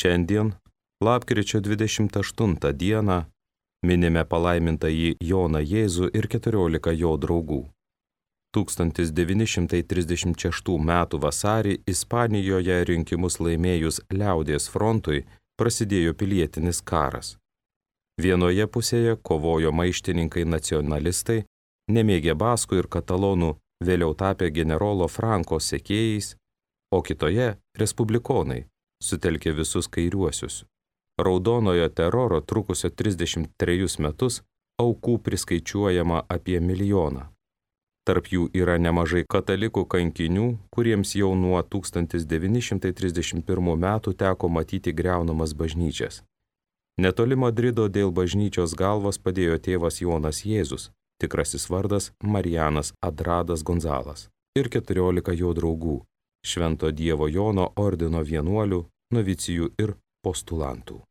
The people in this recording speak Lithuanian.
Šiandien, lapkričio 28 dieną, minime palaimintąjį Joną Jėzų ir 14 jo draugų. 1936 m. vasarį Ispanijoje rinkimus laimėjus Liaudies frontui prasidėjo pilietinis karas. Vienoje pusėje kovojo maištininkai nacionalistai, nemėgę baskų ir katalonų, vėliau tapę generolo Franko sekėjais, o kitoje respublikonai, sutelkė visus kairiuosius. Raudonojo teroro trukusio 33 metus aukų priskaičiuojama apie 1 milijoną. Tarp jų yra nemažai katalikų kankinių, kuriems jau nuo 1931 metų teko matyti griaunamas bažnyčias. Netoli Madrido dėl bažnyčios galvos padėjo tėvas Jonas Jėzus, tikrasis vardas Marijanas Adradas Gonzalas, ir 14 jo draugų, Švento Dievo Jono ordino vienuolių, novicijų ir postulantų.